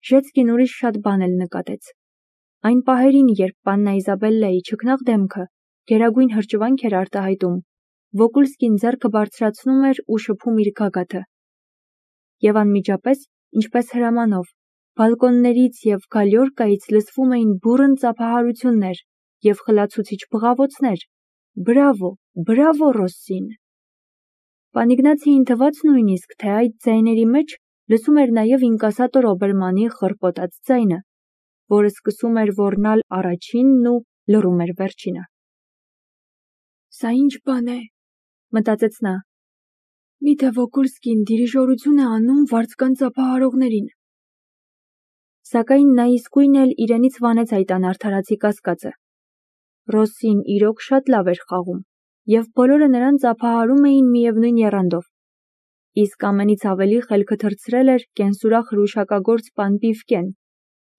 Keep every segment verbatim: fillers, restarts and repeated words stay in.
Ժեցկին ուրիշ շատ բան էլ նկատեց։ Այն պահերին, երբ պաննա Իզաբելլայի չքնաղ դեմքը գերագույն հրճվանք էր արտահայտում, Վոկուլսկին ձեռքը բարձրացնում էր ու շփում իր գագաթը։ Եվ անմիջապես, ինչպես հրամանով, բալկոններից և գալյորկայից լսվում էին բուռն ծափահարություններ և խլացուցիչ բղավոցներ. «Բրավո, բրավո, Ռոսսին»։ Պան Իգնացիին թվաց նույնիսկ, թե այդ ձայների մեջ լսում էր նաև ինկասատոր Օբերմանի խռպոտած ձայնը, որը սկսում էր ոռնալ առաջինն ու լռում էր վերջինը։ «Սա ինչ բան է», մտածեց նա։ «Միթե Վոկուլսկին դիրիժորություն է անում վարձկան ծափահարողներին»։ Սակայն նա իսկույն էլ իրենից վանեց այդ անարդարացի կասկածը։ Ռոսսին իրոք շատ լավ էր խաղում, և բոլորը նրան ծափահարում էին միևնույն եռանդով։ Իսկ ամենից ավելի խելքը թռցրել էր կենսուրախ հրուշակագործ պան Պիվկեն,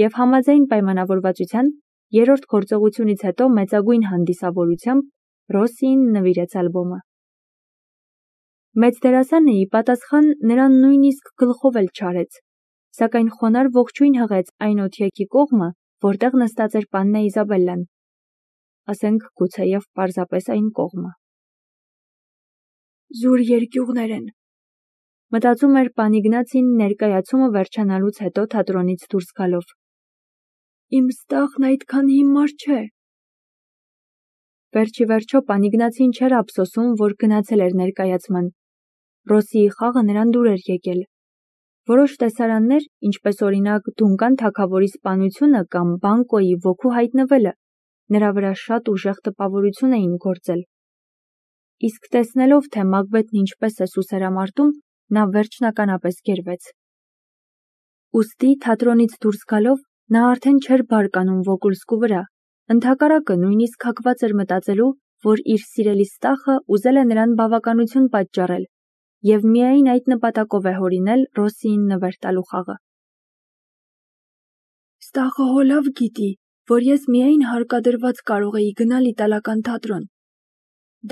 և համաձայն պայմանավորվածության, երրորդ գործողությունից հետո մեծագույն հանդիսավորությամբ Ռոսսիին նվիրեց ալբոմը։ Մեծ դերասանը ի պատասխան նրան նույնիսկ գլխով էլ չարեց, սակայն խոնարհ ողջույն հղեց այն օթյակի կողմը, որտեղ նստած էր պաննա Իզաբելլան, ասենք գուցեև պարզապես այն կողմը։ «Զուր երկյուղներ են», մտածում էր պան Իգնացին ներկայացումը վերջանալուց հետո թատրոնից դուրս գալով։ «Իմ ստախն այդքան հիմար չէ»։ Վերջ ի վերջո պան Իգնացին չէր ափսոսում, որ գնացել էր ներկայացման։ Ռոսսիի խաղը նրան դուր էր եկել։ Որոշ տեսարաններ, ինչպես օրինակ Դունկան թագավորի սպանությունը կամ Բանկոյի ոգու հայտնվելը, նրա վրա շատ ուժեղ տպավորություն էին գործել։ Իսկ տեսնելով, թե Մակբեթն ինչպես է սուսերամարտում, նա վերջնականապես գերվեց։ Ուստի թատրոնից դուրս գալով նա արդեն չէր բարկանում Վոկուլսկու վրա, ընդհակառակը նույնիսկ հակված էր մտածելու, որ իր սիրելի ստախը ուզել է նրան բավականություն պատճառել և միայն այդ նպատակով է հորինել Ռոսսիին նվեր տալու խաղը։ «Ստախը հո լավ գիտի, որ ես միայն հարկադրված կարող էի գնալ իտալական թատրոն։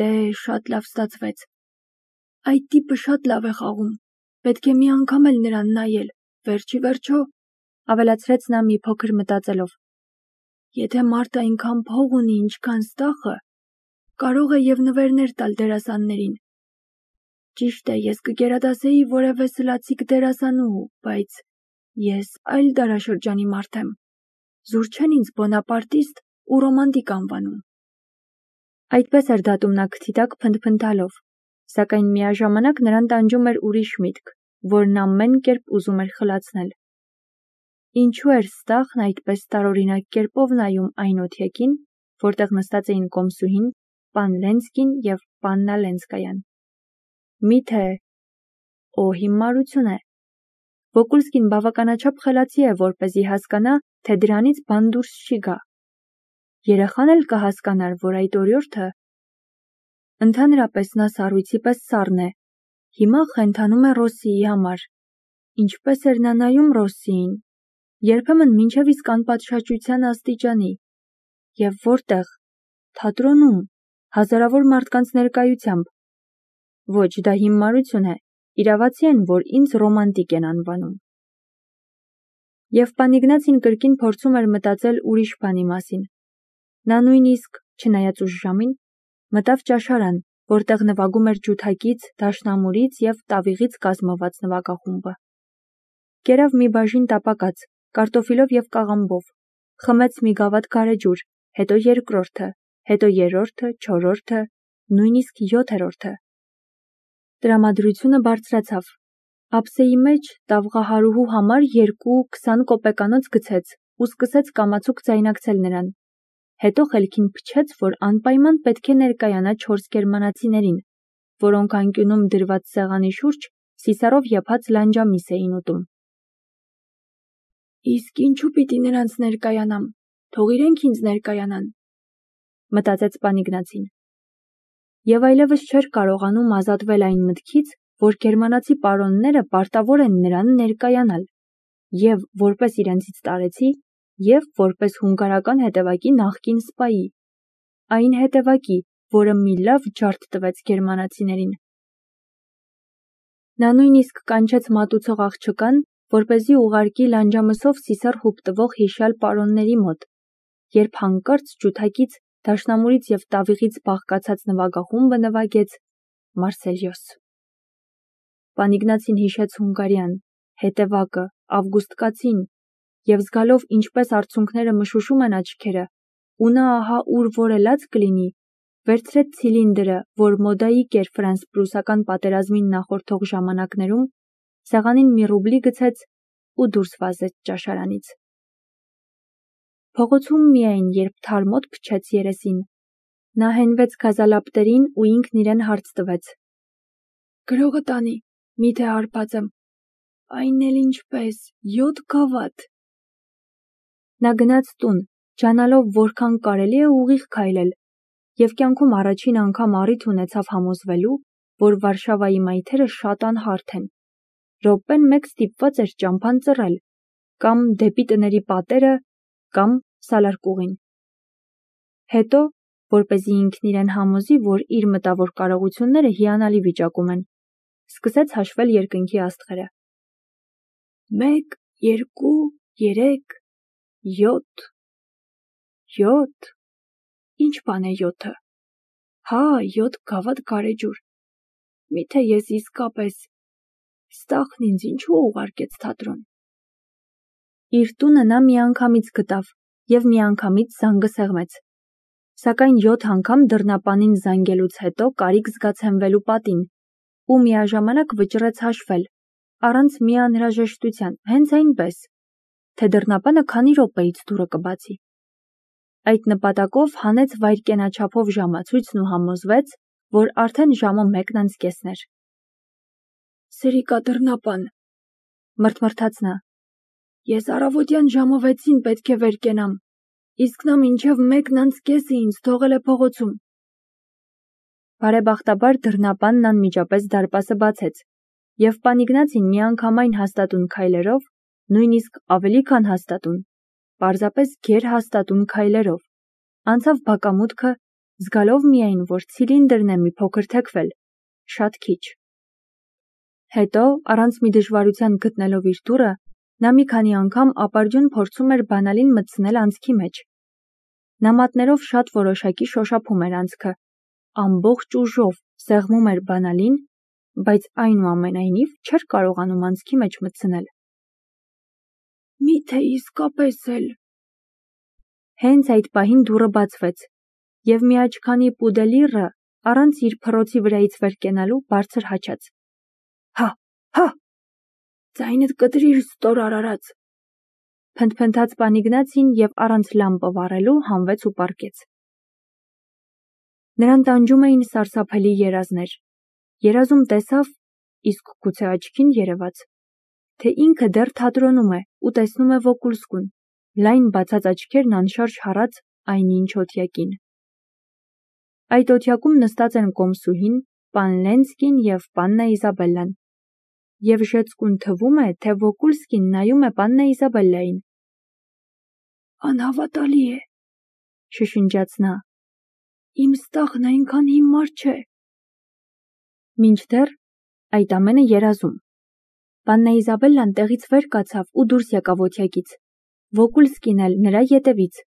Դե, շատ լավ ստացվեց։ Այդ տիպը շատ լավ է խաղում, պետք է մի անգամ էլ նրան նայել, վերջ ի վերջո», ավելացրեց նա մի փոքր մտածելով, «եթե մարդը այնքան փող ունի, ինչքան ստախը, կարող է և նվերներ տալ դերասաններին։ Ճիշտ է, ես կգերադասեի որևէ սլացիկ դերասանուհու, բայց ես այլ դարաշրջանի մարդ եմ, զուր չեն ինձ բոնապարտիստ ու ռոմանտիկ անվանում»։ Այդպես էր դատում նա քթի տակ փնթփնթալով, սակայն միաժամանակ նրան տանջում էր ուրիշ միտք, որն ամեն կերպ ուզում էր խլացնել։ Ինչու էր ստախն այդպես տարօրինակ կերպով նայում այն օթյակին, որտեղ նստած էին կոմսուհին, պան Լենսկին և պաննա Լենսկայան։ Միթե… Օ, հիմարություն է։ Վոկուլսկին բավականաչափ խելացի է, որպեսզի հասկանա, թե դրանից բան դուրս չի գա։ Երեխան էլ կհասկանար, որ այդ օրիորդը… Ընդհանրապես նա սառույցի պես սառն է, հիմա խենթանում է Ռոսսիի համար։ Ինչպես էր նա նայում Ռոսսիին, երբեմն մինչև իսկ անպատշաճության աստիճանի։ Եվ որտեղ… թատրոնում, հազարավոր մարդկանց ներկայությամբ։ Ոչ, դա հիմարություն է, իրավացի են, որ ինձ ռոմանտիկ են անվանում։ Եվ պան Իգնացին կրկին փորձում էր մտածել ուրիշ բանի մասին։ Նա նույնիսկ, չնայած ուշ ժամին, մտավ ճաշարան, որտեղ նվագում էր ջութակից, դաշնամուրից և տավիղից կազմված նվագախումբը։ Կերավ մի բաժին տապակած, կարտոֆիլով և կաղամբով, խմեց մի գավաթ գարեջուր, հետո երկրորդը, հետո երրորդը, չորրորդը, նույնիսկ յոթերորդը։ Տրամադրությունը բարձրացավ։ Ափսեի մեջ տավղահարուհու համար երկու քսան կոպեկանոց գցեց ու սկսեց կամացուկ ձայնարկել նրան։ Հետո խելքին փչեց, որ անպայման պետք է ներկայանա չորս գերմանացիներին, որոնք անկյունում դրված սեղանի շուրջ սիսարով եփած լանջամիս էին ուտում։ Իսկ ինչու պիտի նրանց ներկայանամ, թող իրենք ինձ ներկայանան, մտածեց պան Իգնացին։ Եվ այլևս չէր կարողանում ազատվել այն մտքից, որ գերմանացի պարոնները պարտավոր են նրան ներկայանալ, և որպես իրենցից տարեցի, և որպես հունգարական հետևակի նախկին սպայի, այն հետևակի, որը մի լավ ջարդ տվեց գերմանացիներին։ Նա նույնիսկ կանչեց մատուցող աղջկան, որպեսզի ուղարկի լանջամսով սիսեռ հուպտվող հիշյալ պարոնների մոտ, երբ հանկարծ ջութակից, դաշնամուրից և տավիղից բաղկացած նվագախումբը նվագեց Մարսելյոս։ Պանիգնացին հիշեց Հունգարիան, հետևակը, Ավգուստկացին, և զգալով ինչպես արցունքները մշուշում են աչքերը, ու նա ահա ուր որելած կլինի, վերցրեց ցիլինդրը, որ մոդայիկ էր ֆրանս-պրուսական պատերազմին նախորդող ժամանակներում, սեղանին մի ռուբլի գցեց ու դուրս վազեց ճաշարանից։ Փողոցում միայն, երբ թարմոտ փչեց երեսին, նա հենվեց գազալապտերին ու ինքն իրեն հարց տվեց. «Գրողը տանի, միթե հարբած եմ, այն էլ ինչպես, յոթ գավաթ»։ Նա գնաց տուն, ջանալով որքան կարելի է ուղիղ քայլել, և կյանքում առաջին անգամ առիթ ունեցավ համոզվելու, որ Վարշավայի մայթերը շատ անհարթ են, րոպեն մեկ ստիպված էր ճամփան ծռել, կամ դեպի տների պատերը, կամ սալարկուղին։ Հետո, որպեսզի ինքն իրեն համոզի, որ իր մտավոր կարողությունները հիանալի վիճակում են, սկսեց հաշվել երկնքի աստղերը։ Մեկ, երկու, երեք, յոթ, յոթ, ինչ բան է յոթը, հա, յոթ գավաթ գարեջուր, միթե ես իսկապես, Ստախն ինձ ինչու ուղարկեց թատրոն։ Իր տունը նա միանգամից գտավ և միանգամից զանգը սեղմեց, սակայն յոթ անգամ դռնապանին զանգելուց հետո կարիք զգաց հենվելու պատին ու միաժամանակ վճռեց հաշվել, առանց մի անհրաժեշտության, հենց այնպես, թե դռնապանը քանի րոպեից դուռը կբացի։ Այդ նպատակով հանեց վայրկենաչափով ժամացույցն ու համոզվեց, որ արդեն ժամը մեկն անց կեսն էր։ Սրիկա դռնապան, մրթմրթաց նա, ես առավոտյան ժամը վեցին պետք է վեր կենամ, իսկ նա մինչև մեկն անց կեսը ինձ թողել է փողոցում։ Բարեբախտաբար դռնապանն անմիջապես դարպասը բացեց, և Պանիգնացին միանգամայն հաստատուն քայլերով, նույնիսկ ավելի քան հաստատուն, պարզապես գերհաստատուն քայլերով, անցավ բակամուտքը, զգալով միայն, որ ցիլինդրն է մի փոքր թեքվել, շատ քիչ։ Հետո, առանց մի դժվարության գտնելով իր դուռը, նա մի քանի անգամ ապարդյուն փորձում էր բանալին մտցնել անցքի մեջ։ Նա մատներով շատ որոշակի շոշափում էր անցքը, ամբողջ ուժով սեղմում էր բանալին, բայց այնուամենայնիվ չէր կարողանում անցքի մեջ մտցնել։ Միթե իսկապես էլ։ Հենց այդ պահին դուռը բացվեց, և մի աչքանի պուդելիռը, առանց իր փռոցի վրայից վեր կենալու, բարձր հաչաց. Հա, հա, ձայնդ կտրիր, ստոր արարած։ Փնթփնթաց Պանիգնացին և առանց լամպը վառելու հանվեց ու պառկեց։ Նրան տանջում էին սարսափելի երազներ։ Երազում տեսավ, իսկ գուցե աչքին երևաց, թե ինքը դեռ թատրոնում է ու տեսնում է Վոկուլսկուն, լայն բացած աչքերն անշարժ հառած այնինչ օթյակին։ Այդ օթյակում նստած են կոմսուհին, պան Լենսկին և պաննա Իզաբելլան, և ժեցկուն թվում է, թե Վոկուլսկին նայում է պաննա Իզաբելլային։ Անհավատալի է, շշնջաց նա, իմ Ստախն այնքան հիմար չէ։ Մինչդեռ այդ ամենը երազում։ Պաննա Իզաբելլան տեղից վեր կացավ ու դուրս եկավ օթյակից, Վոկուլսկին էլ նրա ետևից,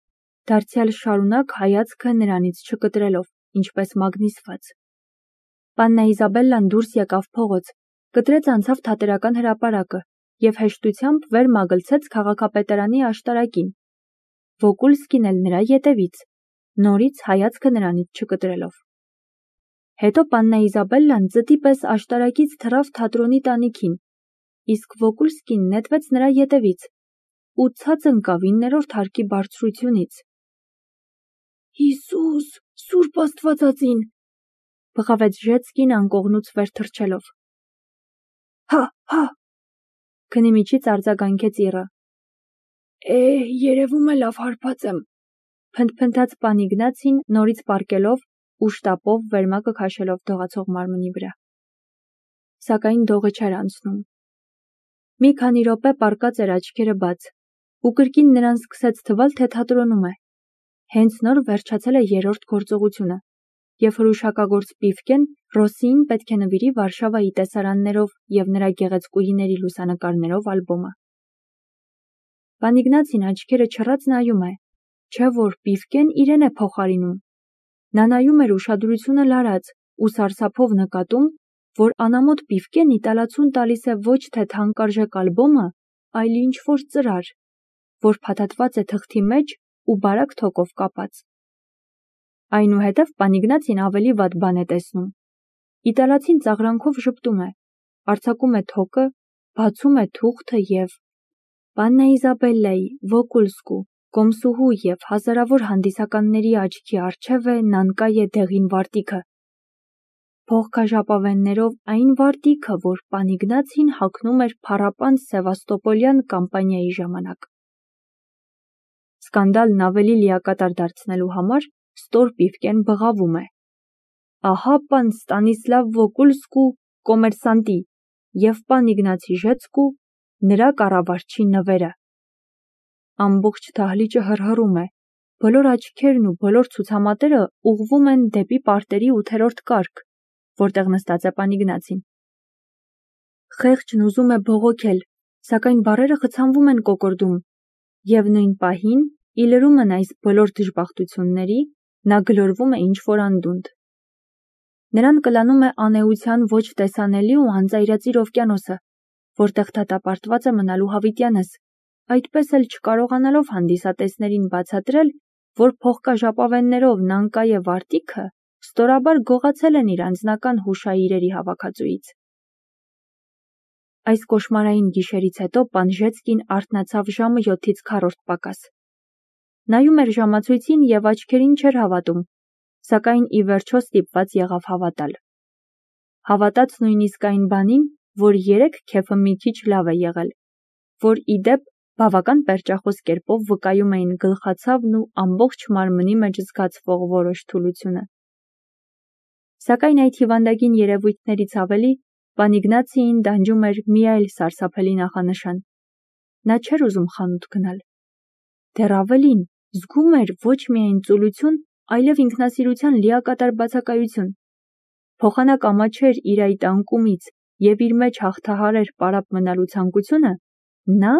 դարձյալ շարունակ հայացքը նրանից չկտրելով, ինչպես մագնիսված։ Պաննա Իզաբելլան դուրս եկավ փողոց, կտրեց անցավ Թատերական հրապարակը և հեշտությամբ վեր մագլցեց քաղաքապետարանի աշտարակին, Վոկուլսկին էլ նրա ետևից, նորից հայացքը նրանից չկտրելով։ Հետո պաննա Իզաբելլան ծտի պես աշտարակից թռավ թատրոնի տանիքին, իսկ Վոկուլսկին նետվեց նրա ետևից ու ցած ընկավ իններորդ հարկի բարձրությունից։ Հիսուս, Սուրբ Աստվածածին, բղավեց Ժեցկին անկողնուց վեր թռչելով։ Հա, հա, քնի միջից արձագանքեց իռը։ Է, երևում է լավ հարբած եմ, փնթփնթաց Պանիգնացին նորից պառկելով ու շտապով վերմակը քաշելով դողացող մարմնի վրա։ Սակայն դողը չէր անցնում։ Մի քանի րոպե պառկած էր աչքերը բաց, ու կրկին նրան սկսեց թվալ, թե թատրոնում է։ Հենց նոր վերջացել է երրորդ գործողությունը, և հրուշակագործ Պիվկեն Ռոսսիին պետք է նվիրի Վարշավայի տեսարաններով և նրա գեղեցկուհիների լուսանկարներով ալբոմը։ Պան Իգնացին աչքերը չռած նայում է, չէ որ Պիվկեն իրեն է փոխարինում։ Նա նայում էր ուշադրությունը լարած ու սարսափով նկատում, որ անամոթ Պիվկեն իտալացուն տալիս է ոչ թե թանկարժեք ալբոմը, այլ ինչ-որ ծրար, որ փաթաթված է թղթի մեջ ու բարակ թոկով կապած։ Այնուհետև պան Իգնացին ավելի վատ բան է տեսնում։ Իտալացին ծաղրանքով ժպտում է, արձակում է թոկը, բացում է թուղթը և Պաննա Իզաբելլայի, Վոկուլսկու, Կոմսուհու և հազարավոր հանդիսականների աչքի առջև է Նանկայե դեղին վարտիքը։ Փողքաժապավեններով այն վարտիքը, որ պան Իգնացին հագնում էր փառապան սևաստոպոլյան կամպանիայի ժամանակ։ Սկանդալն ավելի լիակատար դարձնելու համար ստոր Պիվկեն բղավում է. Ահա պան Ստանիսլավ Վոկուլսկու կոմերսանտի և պան Իգնացի Ժեցկու նրա կառավարչի նվերը։ Ամբողջ դահլիճը հռհռում է, բոլոր աչքերն ու բոլոր ցուցամատերը ուղղվում են դեպի պարտերի ութերորդ կարգ, որտեղ նստած է պան Իգնացին։ Խեղճն ուզում է բողոքել, սակայն բառերը խցանվում են կոկորդում, և նույն պահին, ի լրումն այս բոլոր դժբախտությունների, նա գլորվում է ինչ-որ անդունդ։ Նրան կլանում է անէության ոչ տեսանելի ու անծայրածիր օվկիանոսը, որտեղ դատապարտված է մնալու հավիտյանս, այդպես էլ չկարողանալով հանդիսատեսներին բացատրել, որ փողկաժապավեններով Նանկայե վարտիքը ստորաբար գողացել են իր անձնական հուշաիրերի հավաքածուից։ Այս կոշմարային գիշերից հետո պան Ժեցկին արթնացավ ժամը յոթից քառորդ պակաս։ Նայում էր ժամացույցին և աչքերին չէր հավատում, սակայն ի վերջո ստիպված եղավ հավատալ։ Հավատաց նույնիսկ այն բանին, որ երեկ քեֆը մի քիչ լավ է եղել, որ ի դեպ բավական պերճախոս կերպով վկայում էին գլխացավն ու ամբողջ մարմնի մեջ զգացվող որոշ թուլությունը։ Սակայն այդ հիվանդագին երևույթներից ավելի պան Իգնացիին դանջում էր մի այլ սարսափելի նախանշան։ Նա չէր ուզում խանութ գնալ։ Դեռ ավելին, զգում էր ոչ միայն ծուլություն, այլև ինքնասիրության լիակատար բացակայություն։ Փոխանակ ամաչեր իր այդ անկումից և իր մեջ հաղթահարեր պարապ մնալու ցանկությունը, նա,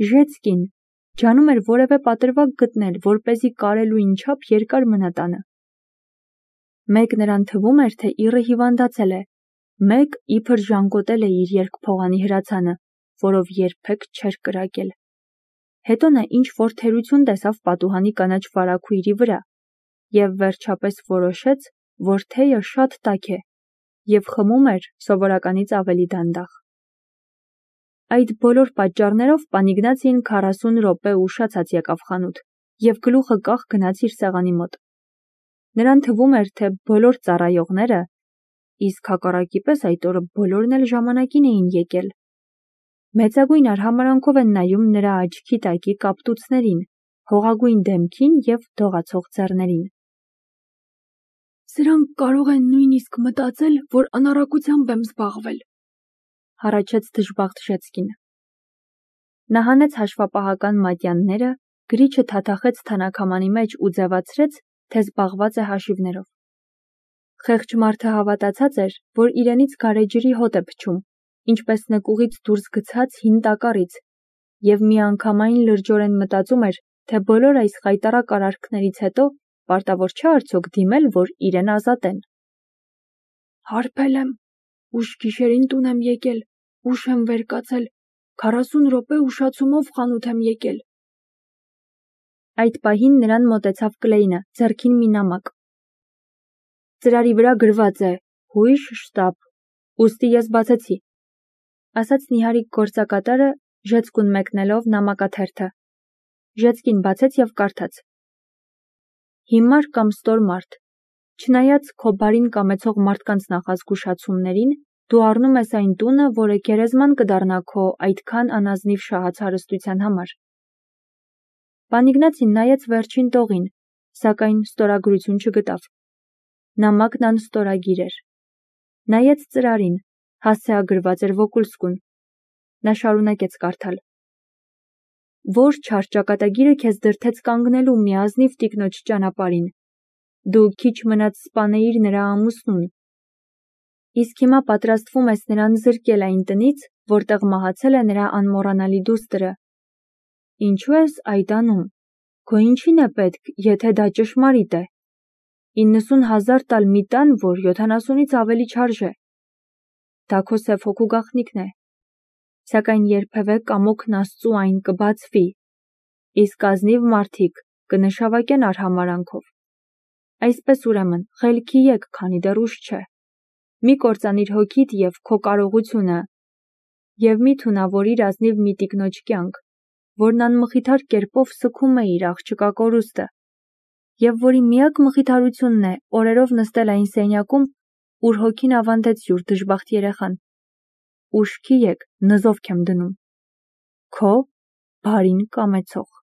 Ժեցկին, ջանում էր որևէ պատրվակ գտնել, որպեսզի կարելույն չափ երկար մնա տանը։ Մեկ նրան թվում էր, թե իռը հիվանդացել է, մեկ իբր ժանգոտել է իր երկփողանի հրացանը, որով երբեք չէր կրակել։ Հետո նա ինչ-որ թերություն տեսավ պատուհանի կանաչ վարագույրի վրա և վերջապես որոշեց, որ թեյը շատ տաք է և խմում էր սովորականից ավելի դանդաղ։ Այդ բոլոր պատճառներով պան Իգնացին քառասուն րոպե ուշացած եկավ խանութ և գլուխը կախ գնաց իր սեղանի մոտ։ Նրան թվում էր, թե բոլոր ծառայողները, իսկ հակառակի պես այդ օրը բոլորն էլ ժամանակին էին եկել, մեծագույն արհամարհանքով են նայում նրա աչքի տակի կապտուցներին, հողագույն դեմքին և դողացող ձեռներին։ Սրանք կարող են նույնիսկ մտածել, որ անառակությամբ եմ զբաղվել, հառաչեց դժբախտ Ժեցկին։ Նա հանեց հաշվապահական մատյանները, գրիչը թաթախեց թանաքամանի մեջ ու ձևացրեց, թե զբաղված է հաշիվներով։ Խեղճ մարդը հավատացած էր, որ իրենից գարեջրի հոտ է փչում, ինչպես նկուղից դուրս գցած հին տակառից, և միանգամայն լրջորեն մտածում էր, թե բոլոր այս խայտառակ արարքներից հետո պարտավոր չէ արդյոք դիմել, որ իրեն ազատեն։ Հարբել եմ, ուշ գիշերին տուն եմ եկել, ուշ եմ վեր կացել, քառասուն րոպե ուշացումով խանութ եմ եկել։ Այդ պահին նրան մոտեցավ Կլեյնը, ձեռքին մի նամակ։ Ծրարի վրա գրված է հույժ շտաբ, ուստի ես բացեցի, ասաց նիհարիկ գործակատարը, Ժեցկուն մեկնելով նամակաթերթը։ Ժեցկին բացեց և կարդաց. Հիմար կամ ստոր մարդ, չնայած քո բարին կամեցող մարդկանց նախազգուշացումներին, դու առնում ես այն տունը, որը գերեզման կդառնա քո այդքան անազնիվ շահած հարստության համար։ Պան Իգնացին նայեց վերջին տողին, սակայն ստորագրություն չգտավ։ Նամակն անստորագիր էր։ Նայեց ծրարին, հասցեագրված էր Վոկուլսկուն։ Նա շարունակեց կարդալ. Որ չար ճակատագիրը քեզ դրդեց կանգնելու մի ազնիվ տիկնոջ ճանապարհին, դու քիչ մնաց սպանեիր նրա ամուսնուն, իսկ հիմա պատրաստվում ես նրան զրկել այն տնից, որտեղ մահացել է նրա անմոռանալի դուստրը։ Ինչու ես այդ անում։ Քո ինչին է պետք, եթե դա ճշմարիտ է։ իննսուն հազար տալ մի տան, որ յոթանասունից ավելի չարժե։ Դա քո սև հոգու գաղտնիքն է։ Սակայն երբևէ կամոքն Աստծու այն կբացվի, իսկ ազնիվ մարդիկ կնշավակեն արհամարանքով։ Այսպես ուրեմն, խելքի եկ, քանի դեռ ուշ չէ։ Մի կործանիր հոգիդ և քո կարողությունը, և մի թունավորիր ազնիվ մի տիկնոջ կյանք, որն անմխիթար կերպով սգում է իր աղջկա կորուստը, և որի միակ մխիթարությունն է օրերով նստել այն սենյակում, ուր հոգին ավանդեց յուր դժբախտ երեխան։ Ուշքի եկ, նզովք եմ դնում։ Քո բարին կամեցող։